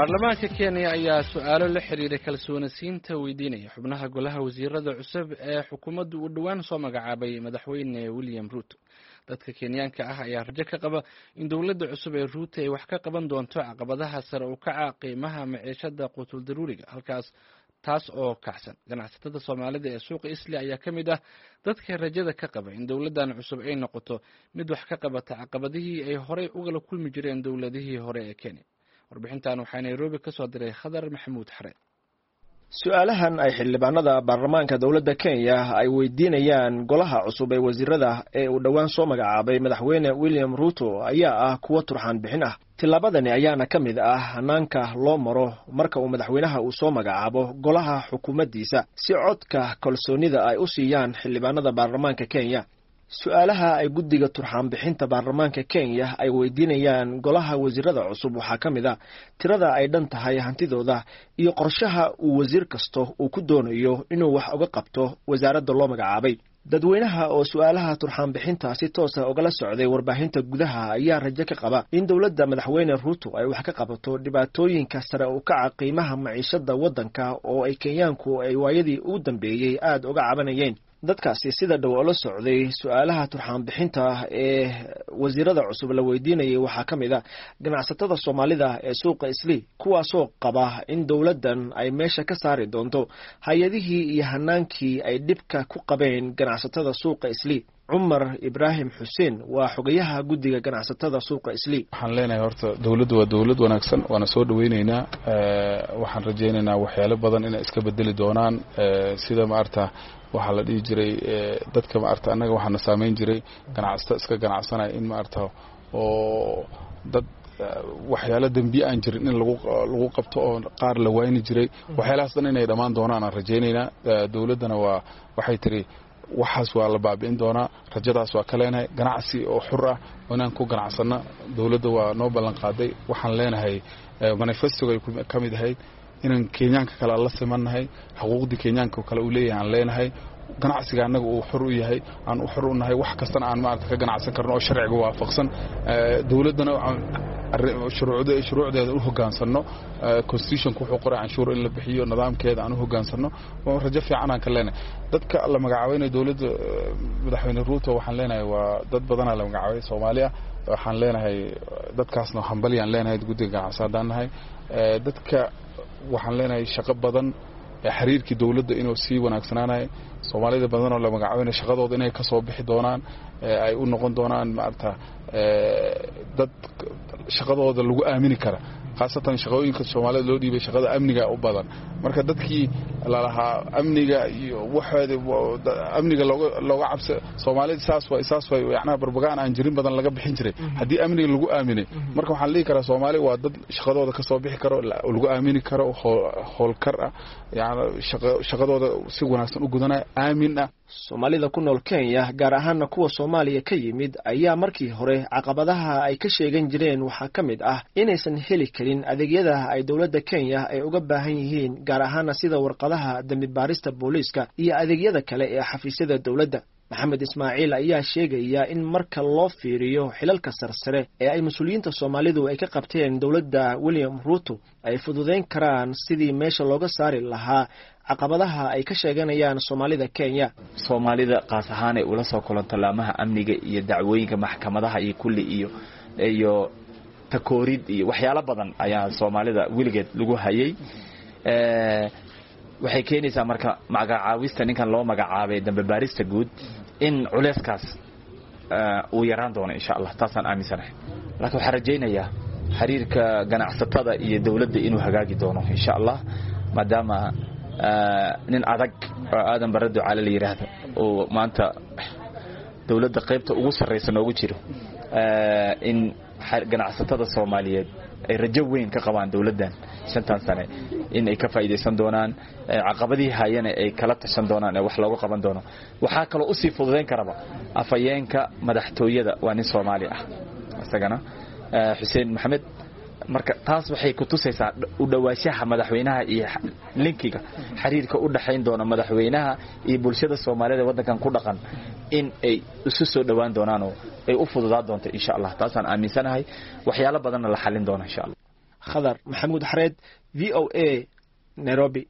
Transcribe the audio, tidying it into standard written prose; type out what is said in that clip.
Baarlamaanka Kenya ayaa su-aalo la xiriira kalsoonisiinta weydiinaya xubnaha golaha wasiirada cusub ee xukuumaddu uu dhowaan soo magacaabay madaxweyne William Ruto. Dadka Kenyaanka ah ayaa rajo ka qaba in dowladda cusub ee Ruto ay wax ka qaban doonto caqabadaha sare u kaca qiimaha maciishada quutuldaruuriga halkaas taas oo kacsan. Ganacsatada Soomaalida ee suuqa Isli ayaa ka mid ah dadka rajada ka qaba in dowladdan cusub ay noqoto mid wax ka qabata caqabadihii ay horey ugala kulmi jireen dowladihii hore ee Kenya. Warbixintan waxaa Nairobi ka soo diray Khadar Maxamuud Xare. Su-aalahan ay xildhibaanada baarlamaanka dowladda Kenya ay weydiinayaan golaha cusub ee wasiirada ee uu dhowaan soo magacaabay madaxweyne William Ruto ayaa ah kuwo turxaan bixin ah. Tillaabadani ayaana ka mid ah hanaanka loo maro marka uu madaxweynaha uu soo magacaabo golaha xukuumaddiisa si codka kalsoonida ay u siiyaan xildhibaanada baarlamaanka Kenya. Su-aalaha ay guddiga turxaan bixinta baarlamaanka Kenya ay weydiinayaan golaha wasiirada cusub waxaa ka mid a tirada ay dhan tahay hantidooda iyo qorshaha uu wasiir kasto uu ku doonayo inuu wax uga qabto wasaaradda loo magacaabay. Dadweynaha oo su-aalaha turxaan bixinta si toosa ugala socday warbaahinta gudaha ayaa rajo ka qaba in dowladda madaxweyne Ruto ay wax ka qabato dhibaatooyinka sare u kaca qiimaha maciishada waddanka oo ay Kenyaanku ay waayadii ugu dambeeyey aada uga cabanayeen. Dadkaasi sida dhow oola socday su-aalaha turxaan bixinta ee wasiirada cusub la weydiinayay waxaa ka mid a ganacsatada Soomaalida ee suuqa Islii, kuwaasoo qaba in dowladdan ay meesha ka saari doonto hay-adihii iyo hanaankii ay dhibka ku qabeen ganacsatada suuqa Islii. Cumar Ibraahim Xuseen waa xogayaha guddiga ganacsatada suuqa Islii. Waxaan leenahay horta dowladdu waa dowlad wanaagsan, waana soo dhaweyneynaa. Waxaan rajaynaynaa waxyaalo badan inay iska bedeli doonaan, sida maarata waxaa la dhihi jiray dadka maarata annaga waxaana saamayn jiray ganacsato iska ganacsanaya in maarata oo dad waxyaalo dembiye aan jirin in lagu qabto oo qaar la wayni jiray. Waxyaalahaas dhan inay dhammaan doonaan aan rajaynaynaa. Dowladdana waa waxay tiri waxaas waa la baabi'in doonaa, rajadaas waa ka leenahay. Ganacsi oo xur ah oo inaan ku ganacsanno dowladda waa noo ballan qaaday. Waxaan leenahay manifestoga ay ka mid ahayd inaan Kenyaanka kale la simannahay, xuquuqdii Kenyaanka kale uu leeyahay aan leenahay, ganacsiga annaga uu xor u yahay, aan u xor u nahay, wax kastana aan maarata ka ganacsan karno oo sharciga waafaqsan. Dowladdana shuruucdeeda u hoggaansanno, constitutionka wuxuu qoray canshuur in la bixiyo, nidaamkeeda aan u hoggaansanno. Rajo fiican aan ka leenahay. Dadka la magacaabaynayo dowladda madaxweyne Ruto waxaan leenahay waa dad badanaa la magacaabay Soomaali ah. Waxaan leenahay dadkaasna hambalyaan leenahay, guddiga ganacsi haddaan nahay. Dadka waxaan leenahay shaqo badan, xiriirkii dowladda inuu sii wanaagsanaanayo, Soomaalida badanoo la magacaabayna shaqadooda inay ka soo bixi doonaan, ay u noqon doonaan maarata dad shaqadooda lagu aamini kara, khaasatan shaqooyinka Soomaalida loo dhiibay shaqada amniga u badan. Marka dadkii lalahaa amniga iyo waxooda amniga looga cabsa Soomaalida saas waay saas waay, yacnaha barbagaan aan jirin badan laga bixin jiray haddii amniga lagu aaminay. Marka waxaan dhihi karaa Soomaali waa dad shaqadooda ka soo bixi karo, lagu aamini karo, howlkar ah, yani shaqadooda si wanaagsan u gudanaya, aamin ah. Soomaalida ku nool Kenya, gaar ahaana kuwa Soomaaliya ka yimid, ayaa markii hore caqabadaha ay ka sheegan jireen waxaa ka mid ah inaysan heli karin adeegyada ay dowladda Kenya ay uga baahan yihiin, gaar ahaana sida warqadaha dembi baarista booliiska iyo adeegyada kale ee xafiisyada dowladda. Maxamed Ismaaciil ayaa sheegaya in marka loo fiiriyo xilalka sarsare ee ay mas-uuliyiinta Soomaalidu ay ka qabteen dowladda William Ruto ay fududeyn karaan sidii meesha looga saari lahaa caqabadaha ay ka sheeganayaan Soomaalida Kenya. Soomaalida qaas ahaan ay ula soo kulanto laamaha amniga iyo dacwooyinka maxkamadaha iyo kulli iyo takoorid iyo waxyaalo badan ayaa Soomaalida weligeed lagu hayay. Waxay keenaysaa marka magacaawista ninkan loo magacaabay dambe baarista guud in culeyskaas uu yaraan doono insha Allah, taasaan aaminsanahay. Laakiin waxaan rajaynayaa xiriirka ganacsatada iyo dowladda inuu hagaagi doono insha Allah, maadaama nin adag oo Aadan Barre Ducaale la yidhaahdo uu maanta dowladda qaybta ugu sarraysa noogu jiro, in ganacsatada Soomaaliyeed ay rajo weyn ka qabaan dowladdan 5tan sane in ay ka faa'iidaysan doonaan, caqabadihii hayana ay kala tashan doonaan ee wax looga qaban doono. Waxaa kaloo usii fududayn karaba afhayeenka madaxtooyada waa nin Soomaali ah isagana, Xuseen Maxamed. Marka taas waxay ku tusaysaa u dhawaanshaha madaxweynaha iyo linkiga xiriirka u dhaxayn doona madaxweynaha iyo bulshada Soomaalida waddankan ku dhaqan in ay isu soo dhawaan doonaan oo ay u fududaa doonto insha Allah. Taasaan aaminsanahay, waxyaalo badanna la xalin doono insha Allah. Khadar Maxamuud Xareed, VOA, Nairobi.